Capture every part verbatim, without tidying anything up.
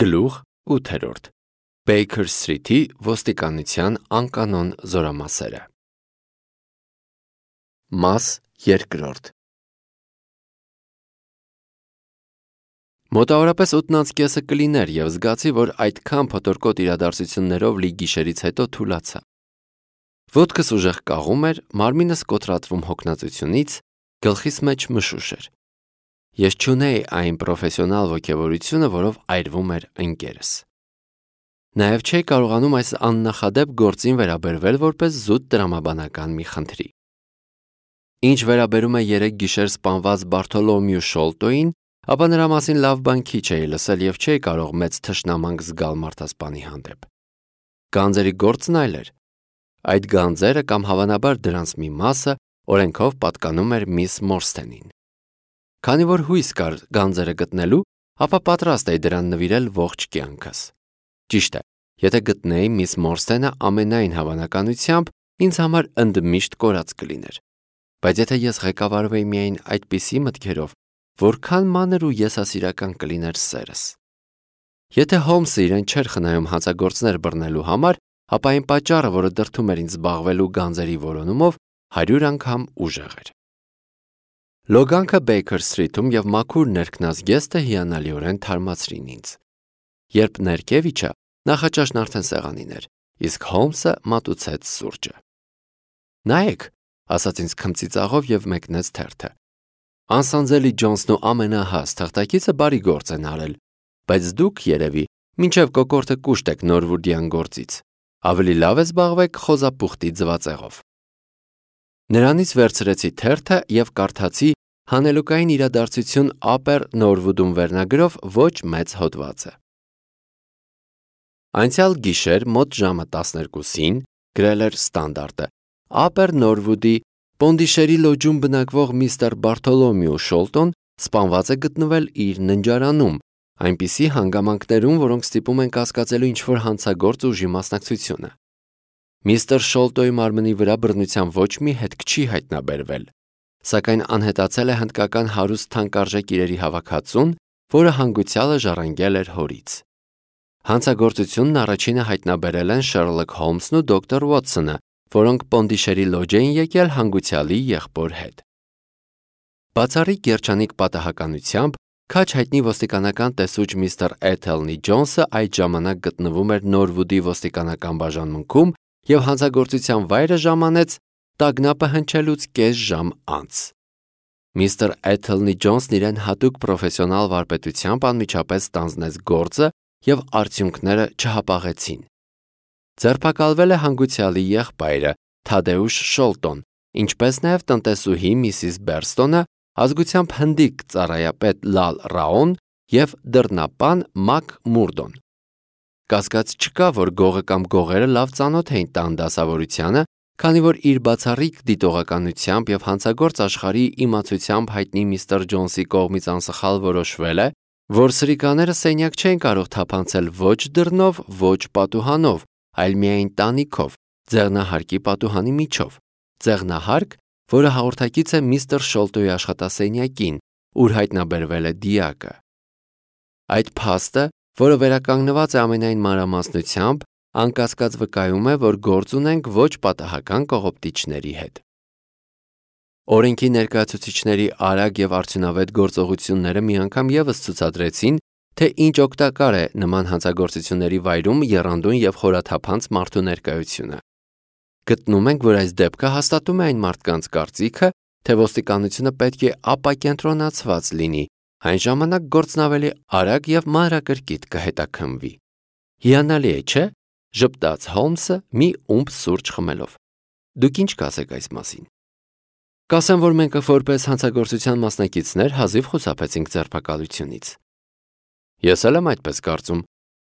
Գլուխ ութերորդ. Baker Street-ի ոստիկանության անկանոն զորամասերը։ Մաս երկրորդ. Մոտավորապես ութն անց կեսը կլիներ և զգացի, որ այդքան փոթորկոտ իրադարձություններով լի գիշերից հետո թուլացա։ Ոտքս ուժեղ կաղում էր, մարմինս կոտրատվում հոգնածությունից, գլխիս մեջ մշուշ էր։ Ես չունեի այն պրոֆեսիոնալ ոգևորությունը, որով այրվում էր ընկերս։ Նաև չէի կարողանում այս աննախադեպ գործին վերաբերվել որպես զուտ տրամաբանական մի խնդրի։ Ինչ վերաբերում է երեք գիշեր սպանված Բարթոլոմեու Շոլտոյին, ապա նրա մասին լավ բան քիչ էի լսել և չէի կարող մեծ թշնամանք զգալ մարդասպանի հանդեպ։ Գանձերի գործն այլ էր։ Այդ գանձերը կամ հավանաբար դրանց մի մասը օրենքով պատկանում էր միս Մորսթենին։ Քանի որ հույս կար գանձերը գտնելու, ապա պատրաստ էի դրան նվիրել ողջ կյանքս։ Ճիշտ է, եթե գտնեի միս Մորսթենը, ամենայն հավանականությամբ ինձ համար ընդմիշտ կորած կլիներ։ Բայց եթե ես ղեկավարվեի միայն այդպիսի մտքերով, որքան մանր ու եսասիրական կլիներ սերս։ Եթե Հոլմսը իրեն չէր խնայում հանցագործներ բռնելու համար, ապա այն պատճառը, որը դրդում էր ինձ զբաղվելու գանձերի որոնումով, հարյուր անգամ ուժեղ էր։ Լոգանքը Baker Street-ում և մաքուր ներքնազգեստը հիանալիորեն թարմացրին ինձ։ Երբ ներքև իջա, նախաճաշն արդեն սեղանին էր, իսկ Հոլմսը մատուցեց սուրճը։ Նայեք, ասաց ինձ քմծիծաղով և մեկնեց թերթը։ Անսանձելի Ջոնսն ու ամենահաս թղթակիցը բարի գործ են արել, բայց դուք, երևի, մինչև կոկորդը կուշտ եք Նորվուդյան գործից։ Ավելի լավ է զբաղվեք խոզապուխտի ձվածեղով։ Նրանից վերցրեցի թերթը և կարդացի հանելուկային իրադարձություն Upper Norwood-ում վերնագրով ոչ մեծ հոդվածը։ Անցյալ գիշեր մոտ ժամը տասներկուսին, գրել էր Ստանդարտը, Upper Norwood-ի Պոնդիշերի լոջում բնակվող միստր Բարթոլոմեու Շոլտոն սպանված է գտնվել իր ննջարանում, այնպիսի հանգամանքներում, որոնք ստիպում են կասկածելու ինչ-որ հանցագործ ուժի մասնակցությունը։ Միստր Շոլտոյի մարմնի վրա բռնության ոչ մի հետք չի հայտնաբերվել, սակայն անհետացել է հնդկական հարուստ թանկարժեք իրերի հավաքածուն, որը հանգուցյալը ժառանգել էր հորից։ Հանցագործությունն առաջինը հայտնաբերել են Շերլոք Հոլմսն ու դոկտոր Ուոտսոնը, որոնք Պոնդիշերի լոջ էին եկել հանգուցյալի եղբոր հետ։ Բացառիկ երջանիկ պատահականությամբ քաջ հայտնի ոստիկանական տեսուչ միստր Էթելնի Ջոնսը այդ ժամանակ գտնվում էր Նորվուդի ոստիկանական բաժանմունքում և հանցագործության վայրը ժամանեց տագնապը հնչելուց կես ժամ անց։ Միստր Էթելնի Ջոնսն իրեն հատուկ պրոֆեսիոնալ վարպետությամբ անմիջապես ստանձնեց գործը և արդյունքները չհապաղեցին։ Ձերբակալվել է հանգուցյալի եղբայրը Թադեուշ Շոլտոն, ինչպես նաև տնտեսուհի Միսիս Բերստոնը, ազգությամբ հնդիկ ծառայապետ Լալ Ռաոն և դռնապան Մակ Մուրդոն։ Կասկած չկա, որ գողը կամ գողերը լավ ծանոթ էին տան դասավորությանը, քանի որ իր բացառիկ դիտողականությամբ և հանցագործ աշխարհի իմացությամբ հայտնի միստր Ջոնսի կողմից անսխալ որոշվել է, որ սրիկաները սենյակ չեն կարող թափանցել ոչ դռնով, ոչ պատուհանով, այլ միայն տանիքով, ձեղնահարկի պատուհանի միջով, ձեղնահարկ, որը հաղորդակից է միստր Շոլտոյի աշխատասենյակին, ուր հայտնաբերվել է դիակը։ Այդ փաստը, որը վերականգնված է ամենայն մանրամասնությամբ, անկասկած վկայում է, որ գործ ունենք ոչ պատահական կողոպտիչների հետ։ Օրենքի ներկայացուցիչների արագ և արդյունավետ գործողությունները մի անգամ ևս ցուցադրեցին, թե ինչ օգտակար է նման հանցագործությունների վայրում եռանդուն և խորաթափանց մարդու ներկայությունը։ Գտնում ենք, որ այս դեպքը հաստատում է այն մարդկանց կարծիքը, թե ոստիկանությունը պետք է ապակենտրոնացված լինի, այն ժամանակ գործն ավելի արագ և մանրակրկիտ կհետաքննվի։ Հիանալի է, չէ՞, ժպտաց Հոլմսը մի ումբ սուրճ խմելով։ Դուք ինչ կասեք այս մասին։ Կասեմ, որ մենք որպես հանցագործության մասնակիցներ հազիվ խուսափեցինք ձերբակալությունից։ Ես էլ եմ այդպես կարծում։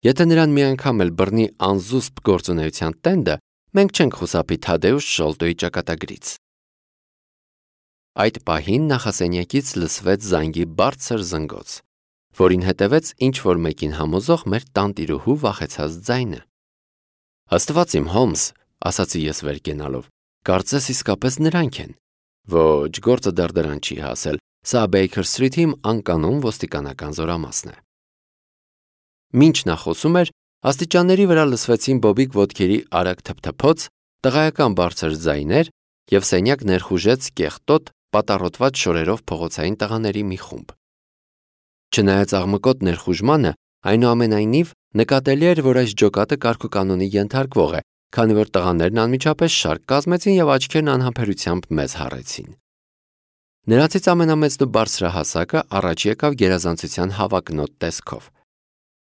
Եթե նրան մի անգամ էլ բռնի անզուսպ գործունեության տենդը, մենք չենք խուսափի Թադեուշ Շոլտոյի ճակատագրից։ Այդ պահին նախասենյակից լսվեց զանգի բարձր զնգոց, որին հետևեց ինչ-որ մեկին համոզող մեր տանտիրուհու վախեցած ձայնը։ Աստված իմ, Հոլմս, ասացի ես վեր կենալով, կարծես իսկապես նրանք են։ Ոչ, գործը դեռ դրան չի հասել, սա Baker Street-ի անկանոն ոստիկանական զորամասն է։ Մինչ նա խոսում էր, աստիճանների վրա լսվեցին բոբիկ ոտքերի արագ թփթփոց, տղայական բարձր ձայներ և սենյակ ներխուժեց կեղտոտ, պատառոտված շորերով փողոցային տղաների մի խումբ։ Չնայած աղմկոտ ներխուժմանը, այնուամենայնիվ նկատելի էր, որ այս ջոկատը կարգուկանոնի ենթարկվող է, քանի որ տղաներն անմիջապես շարք կազմեցին և աչքերն անհամբերությամբ մեզ հառեցին։ Նրանցից ամենամեծն ու բարձրահասակը առաջ եկավ գերազանցության հավակնոտ տեսքով։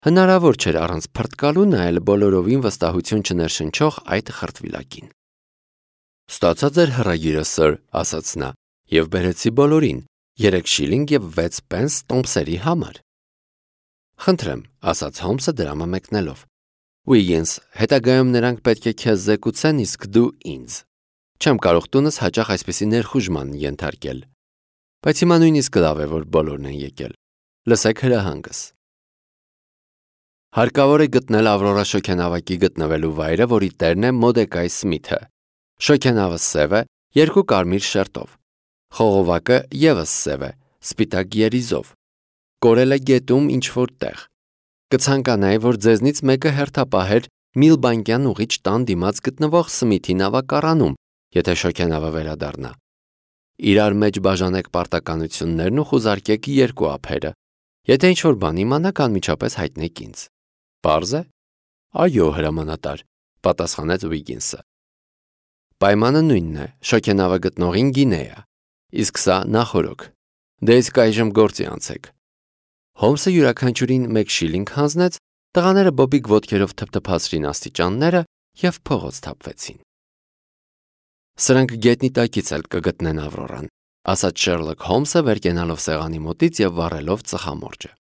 Հնարավոր չէր առանց փռթկալու նայել բոլորովին վստահություն չներշնչող այդ խրտվիլակին։ «Ստացա ձեր հրագիրը, սըր», ասաց նա, և բերեցի բոլորին, երեք շիլինգ և վեց պենս տոմսերի համար։ «Խնդրեմ», ասաց Հոլմսը դրամը մեկնելով։ «Ուիգինս, հետագայում նրանք պետք է քեզ զեկուցեն, իսկ դու ինձ։ Չեմ կարող տունս հաճախ այսպիսի ներխուժման ենթարկել։ Բայց հիմա նույնիսկ լավ է, որ բոլորն են եկել։ Լսեք հրահանգս։ Հարկավոր է գտնել Ավրորա շոգենավակի գտնվելու վայրը, որի տերն է Մորդեկայ Սմիթը։ Շոգենավը սև է, երկու կարմիր շերտով։ Խողովակը ևս սև է, սպիտակ երիզով։ Կորել է գետում ինչ-որ տեղ։ Կցանկանայի, որ ձեզնից մեկը հերթապահեր Միլբանկյան ուղիչ տան դիմաց գտնվող Սմիթի նավակառանում, եթե շոգենավը վերադառնա։ Իրար մեջ բաժանեք պարտականություններն ու խուզարկեք երկու ափերը։ Եթե ինչ-որ բան իմանաք, անմիջապես հայտնեք ինձ։ Պարզ է։ Այո, հրամանատար, պատասխանեց Ուիգինսը։ Պայմանը նույնն է, շոգենավը գտնողին գինեա, իսկ սա նախօրոք։ Դե իսկ այժմ գործի անցեք։ Հոլմսը յուրաքանչյուրին մեկ շիլինգ հանձնեց, տղաները բոբիկ ոտքերով թփթփացրին աստիճանները և փողոց թափվեցին։ Սրանք գետնի տակից էլ կգտնեն Ավրորան, ասաց Շերլոք Հոլմսը վեր կենալով սեղանի մոտից և վառելով ծխամորճը։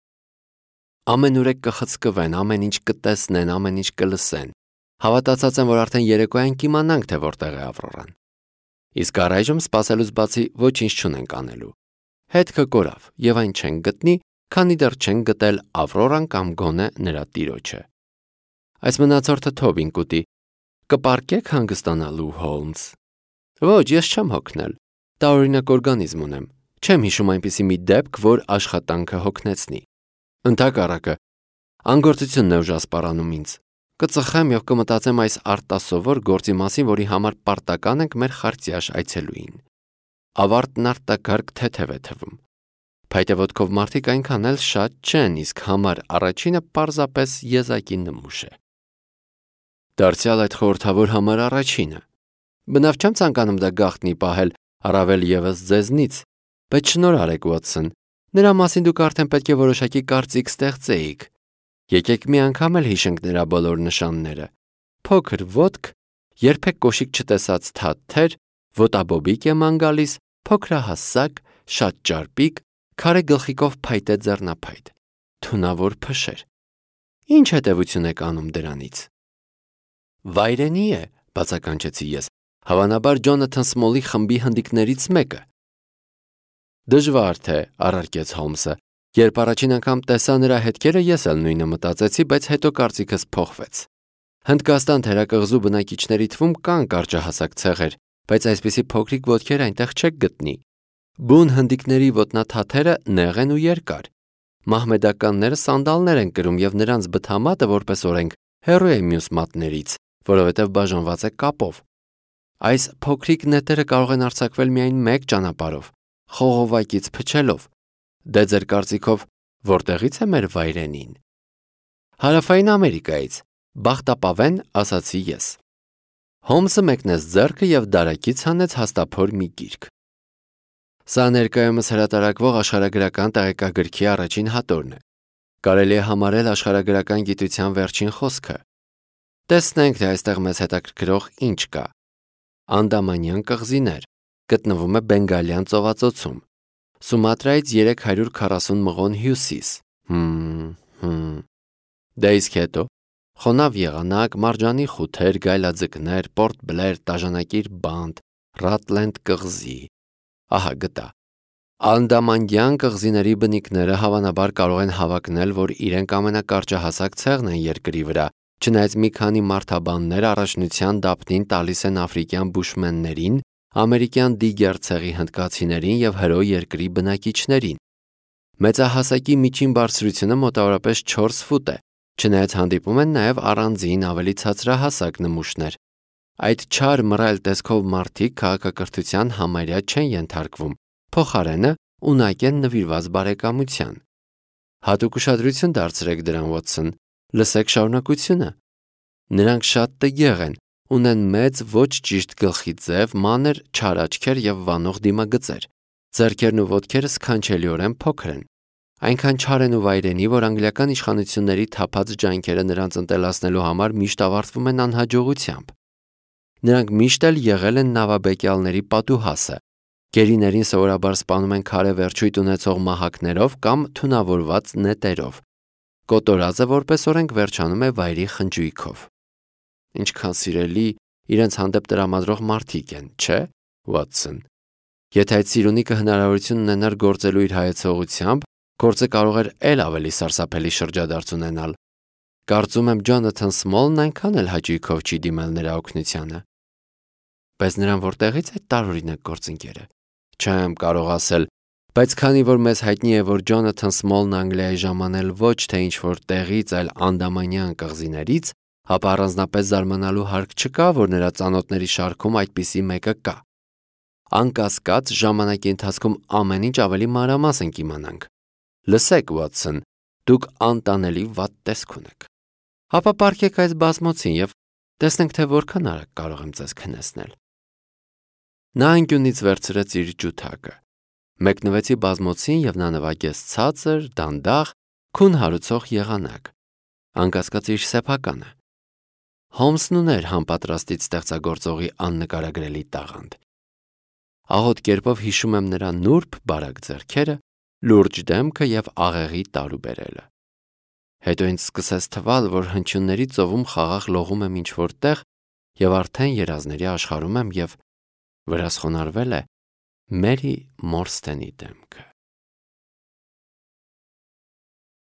Ամենուրեք կխցկվեն, ամեն ինչ կտեսնեն, ամեն ինչ կլսեն։ Հավատացած եմ, որ արդեն երեկոյան կիմանանք, թե որտեղ է Ավրորան։ Իսկ առայժմ սպասելուց բացի ոչինչ չունենք անելու։ Հետքը կորավ և այն չեն գտնի, քանի դեռ չեն գտել Ավրորան կամ գոնե նրա տիրոջը։ Այս մնացորդը Թոբին կուտի։ Կպարկեք հանգստանալու, Հոլմս։ Ոչ, ես չեմ հոգնել։ Տարօրինակ օրգանիզմ ունեմ։ Չեմ հիշում այնպիսի մի դեպք, որ աշխատանքը հոգնեցնի։ Ընդհակառակը, անգործությունն է ուժասպառանում ինձ։ Կծխեմ և կմտածեմ այս արտասովոր գործի մասին, որի համար պարտական ենք մեր խարտյաշ այցելուին։ Ավարտն արտակարգ թեթև է թվում։ Փայտե ոտքով մարդիկ այնքան էլ շատ չեն, իսկ համար առաջինը պարզապես եզակի նմուշ է։ Դարձյալ այդ խորհրդավոր համար առաջինը։ Բնավ չեմ ցանկանում դա գաղտնի պահել, առավել ևս ձեզնից, բայց շնորհարեք, Ուոտսոն, նրա մասին դուք արդեն պետք է որոշակի կարծիք ստեղծեիք։ Եկեք մի անգամ էլ հիշենք նրա բոլոր նշանները։ Փոքր ոտք, երբեք կոշիկ չտեսած թաթեր, ոտաբոբիկ է ման գալիս, փոքրահասակ, շատ ճարպիկ, քարե գլխիկով փայտե ձեռնափայտ, թունավոր փշեր։ Ինչ հետևություն եք անում դրանից։ Վայրենի է, բացականչեցի ես, հավանաբար Ջոնաթան Սմոլի խմբի հնդիկներից մեկը։ Դժվար թե, առարկեց Հոլմսը, երբ առաջին անգամ տեսա նրա հետքերը, ես էլ նույնը մտածեցի, բայց հետո կարծիքս փոխվեց։ Հնդկաստան թերակղզու բնակիչների թվում կան կարճահասակ ցեղեր, բայց այսպիսի փոքրիկ ոտքեր այնտեղ չեք գտնի։ Բուն հնդիկների ոտնաթաթերը նեղ են ու երկար։ Մահմեդականները սանդալներ են կրում և նրանց բթամատը, որպես օրենք, հեռու է մյուս մատներից, որովհետև բաժանված է կապով։ Այս փոքրիկ նետերը կարող են արձակվել միայն մեկ ճանապարհով՝ խողովակից փչելով։ Դե ձեր կարծիքով որտեղից է մեր վայրենին։ Հարավային Ամերիկայից, բախտապավեն, ասացի ես։ Հոլմսը մեկնեց ձեռքը և դարակից հանեց հաստափոր մի գիրք։ Սա ներկայումս հրատարակվող աշխարհագրական տեղեկագրքի առաջին հատորն է։ Կարելի է համարել աշխարհագրական գիտության վերջին խոսքը։ Տեսնենք, թե այստեղ մեզ հետաքրքրող ինչ կա։ Անդամանյան կղզիներ, գտնվում է Բենգալյան ծովածոցում։ Սումատրայից երեք հարյուր քառասուն մղոն հյուսիս։ Հմ, հմ։ Դե իսկ հետո խոնավ եղանակ, մարջանի խութեր, գայլաձկներ, Պորտ Բլեր, տաժանակիր բանտ, Ռատլենդ կղզի։ Ահա գտա։ Անդամանյան կղզիների բնիկները հավանաբար կարող են հավակնել, որ իրենք ամենակարճահասակ ցեղն են երկրի վրա, չնայած մի քանի մարդաբաններ առաջնության դափնին տալիս են աֆրիկյան բուշմեններին, ամերիկյան դիգեր ցեղի հնդկացիներին և հրո երկրի բնակիչներին։ Մեծահասակի միջին բարձրությունը մոտավորապես չորս ֆուտ է, Չնայած հանդիպում են նաև առանձին ավելի ցածրահասակ նմուշներ։ Այդ չար մռայլ տեսքով մարդիկ քաղաքակրթության համարյա չեն ենթարկվում, փոխարենը ունակ են նվիրված բարեկամության։ Հատուկ ուշադրություն դարձրեք դրան, Ուոտսոն, լսեք շարունակությունը։ Նրանք շատ տգեղ են, ունեն մեծ ոչ ճիշտ գլխի ձև, մանր չար աչքեր և վանող դիմագծեր։ Ձեռքերն ու ոտքերը սքանչելիորեն փոքր են։ Այնքան չար են ու վայրենի, որ անգլիական իշխանությունների թափած ջանքերը նրանց ընտելացնելու համար միշտ ավարտվում են անհաջողությամբ։ Նրանք միշտ էլ եղել են նավաբեկյալների պատուհասը։ Գերիներին սովորաբար սպանում են քարե վերջույթ ունեցող մահակներով կամ թունավորված նետերով։ Կոտորածը որպես օրենք վերջանում է վայրի խնջույքով։ Ինչքան սիրելի իրենց հանդեպ տրամադրող մարդիկ են, չէ՞, Ուոտսոն։ Եթե այդ սիրունիկը հնարավորություն ունենար գործելու իր հայեցողությամբ, գործը կարող էր էլ ավելի սարսափելի շրջադարձ ունենալ։ Կարծում եմ Ջոնաթան Սմոլն այնքան էլ հաճույքով չի դիմել նրա օգնությանը։ Բայց նրան որտեղից այդ տարօրինակ գործընկերը։ Չեմ կարող ասել, բայց քանի որ մեզ հայտնի է, որ Ջոնաթան Սմոլն Անգլիայի ժամանել ոչ թե ինչ-որ տեղից, այլ Անդամանյան կղզիներից, ապա առանձնապես զարմանալու հարկ չկա, որ նրա ծանոթների շարքում այդպիսի մեկը կա։ Անկասկած, ժամանակի ընթացքում ամեն ինչ ավելի մանրամասն կիմանանք։ Լսեք, Ուոտսոն, դուք անտանելի վատ տեսք ունեք։ Ապա պառկեք այս բազմոցին և տեսնենք, թե որքան արագ կարող եմ ձեզ քնեցնել։ Նա անկյունից վերցրեց իր ջութակը, մեկնվեցի բազմոցին և նա նվագեց ցածր, դանդաղ, քուն հարուցող եղանակ։ Անկասկած իր սեփականը։ Հոլմսն ուներ համապատրաստից ստեղծագործողի աննկարագրելի տաղանդ։ Աղոտ կերպով հիշում եմ նրա նուրբ բարակ ձեռքերը, լուրջ դեմքը և աղեղի տարուբերելը։ Հետո ինձ սկսեց թվալ, որ հնչյունների ծովում խաղաղ լողում եմ ինչ-որ տեղ և արդեն երազների աշխարհում եմ և վրաս խոնարհվել է Մերի Մորսթենի դեմքը։